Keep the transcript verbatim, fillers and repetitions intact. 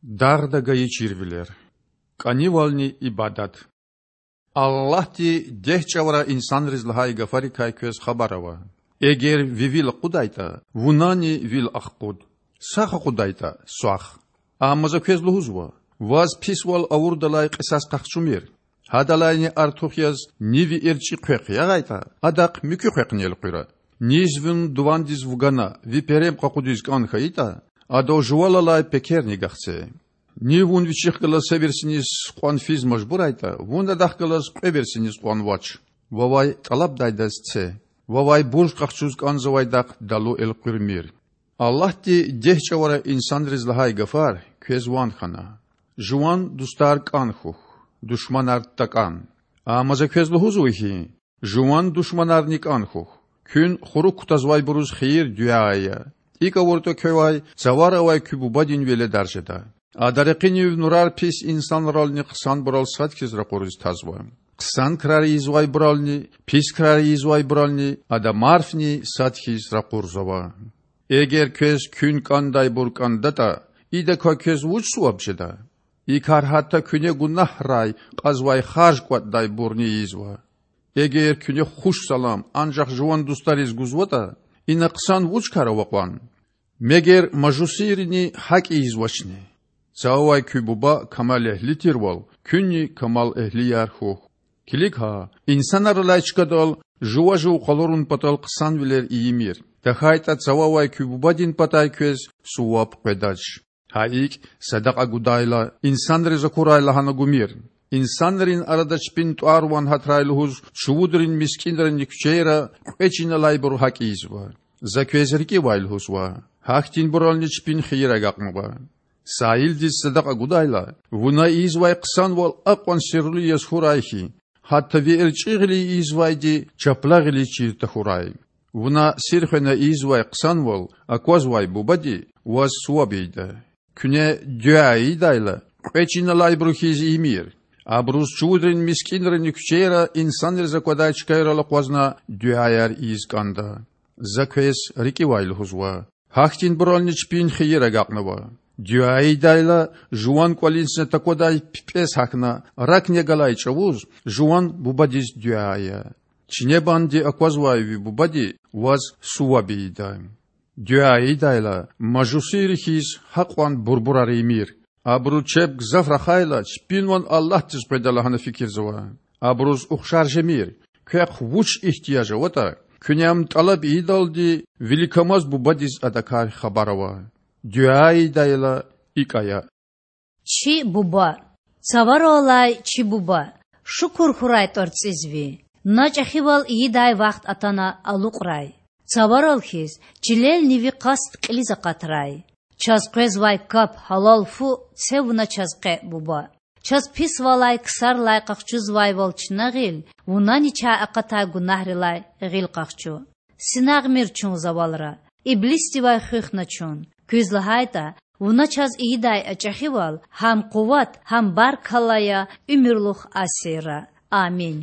Дагъда гайи чирвилер. КӀанивални ибадат. Аллагьди дегь чӀавара инсанриз лагьай гафарикай квез хабар ава: Эгер ви вил акъудайтӀа, вунани вил ахкъуд, сах акъудайтӀа— сах. Амма За квез лугьузва: Ваз писвал авурдалай кьисас къахчумир. Гьадалайни артух яз ни ви эрчӀи хъвекь ягъайтӀа, адахъ муькуь хъвекьни элкъуьра. Низ вун дувандиз вугана ви перем къакъудиз кӀан хьайитӀа, адал жувал алай пекерни гахце. Ни вун вичихъ галаз са версиниз кьван физ мажбурайтӀа, вун адахъ галаз кьве версиниз кьван вач. Вавай тӀалабдайдаз це, вавай бурж къахчуз кӀанзавайдахъ далу элкъуьрмир. Аллагьди дегь чӀавара инсанриз лагьай гафар квез ван хьана: Жуван дустар кӀан хьухь, душманар такӀан. Амма За квез лугьузва хьи: Жуван душманарни кӀан хьухь. Куьн хурук кутазвайбуруз хийир-дуьа ая. ИкӀ авуртӀа, квевай цавара авай куь Бубадин веледар жеда. Ада ракъинив нурар пис инсанрални хъсанбурал сад хьиз ракъуриз тазва. Хъсан крар ийизвайбурални, пис крар ийизвайбурални Ада марфни сад хьиз ракъурзава. Эгер квез куьн кӀандайбур кӀандатӀа, идакай квез вуч суваб жеда? И кар гьатта куьне гунагьрай кьазвай харж кӀватӀдайбурни ийизва. Эгер куьне хуш салам анжах жуван дустариз гузватӀа, ина хъсан вуч кар ава кьван? Мегер мажусийрини гьакӀ ийизвачни? Цававай куь Буба камалэгьли тирвал, куьнни камалэгьлияр хьухь. Килиг гьа, инсанар алай чкадал жува жув къалурун патал хъсанвилер ийимир, тахьайтӀа Цававай куь Бубадин патай квез суваб къведач. Гьа икӀ, садакьа гудайла, инсанриз акурай лагьана гумир. Инсанрин арада чпин тӀвар-ван гьатрай лугьуз чувудрин мискӀинринни куьчейра кьве чин алайбуру гьакӀ ийизва. За квез рикӀивай лугьузва: гьахьтинбурални чпин хийир агакьнава. Саилдиз садакьа гудайла, вуна ийизвай хъсанвал акьван сирлу яз хьурай хьи, гьатта ви эрчӀи гъиле ийизвайди чапла гъиле чир тахьурай. Вуна сир хвена ийизвай хъсанвал аквазвай Бубади ваз суваб ийида. Куьне дуьа ийидайла, кьве чин алайбуру хьиз ийимир. Абуруз чувудрин мискӀинринни куьчейра инсанриз аквадай чкайрал акъвазна дуьаяр ийиз кӀанда. За квез рикӀивай лугьузва: гьахьтинбурални чпин хийир агакьнава. Дуьа ийидайла, жуван кӀвалиндизни таквадай пипӀез гьахьна ракни галай чӀавуз жуван Бубадиз дуьа ая. Чинебанди аквазвай ви Бубади ваз суваб ийида. Дуьа ийидайла, мажусийри хьиз гьакьван бурбурар ийимир. Абуру чеб гзаф рахайла, чпин ван Аллагьдиз къведа лагьана фикирзава. Абуруз ухшар жемир. Квехъ вуч игьтияж аватӀа, куьне ам тӀалаб ийидалди, виликамаз Бубадиз адакай хабар ава. Дуьа ийидайла, икӀ ая: Чи Буба. Цаварал алай чи Буба, шукур хьурай тӀварцӀиз Ви. На чӀехивал ийидай вахт атана алукьрай. Цаварал хьиз, чилелни Ви къаст кьилиз акъатрай. Чаз къвезвай кап, гьалал фу це Вуна чаз къе, Буба. Чаз писвалай, ксарлай къахчузвайвал чна гъил, Вунани чай акъатай гунагьрилай гъил къахчу. Синагъмир чун завалра, иблисдивай хуьх на чун. Куьз лагьайтӀа, Вуна чаз ийидай а чӀехивал гьам къуват, гьам баркалла я уьмуьрлух асирра. Амин.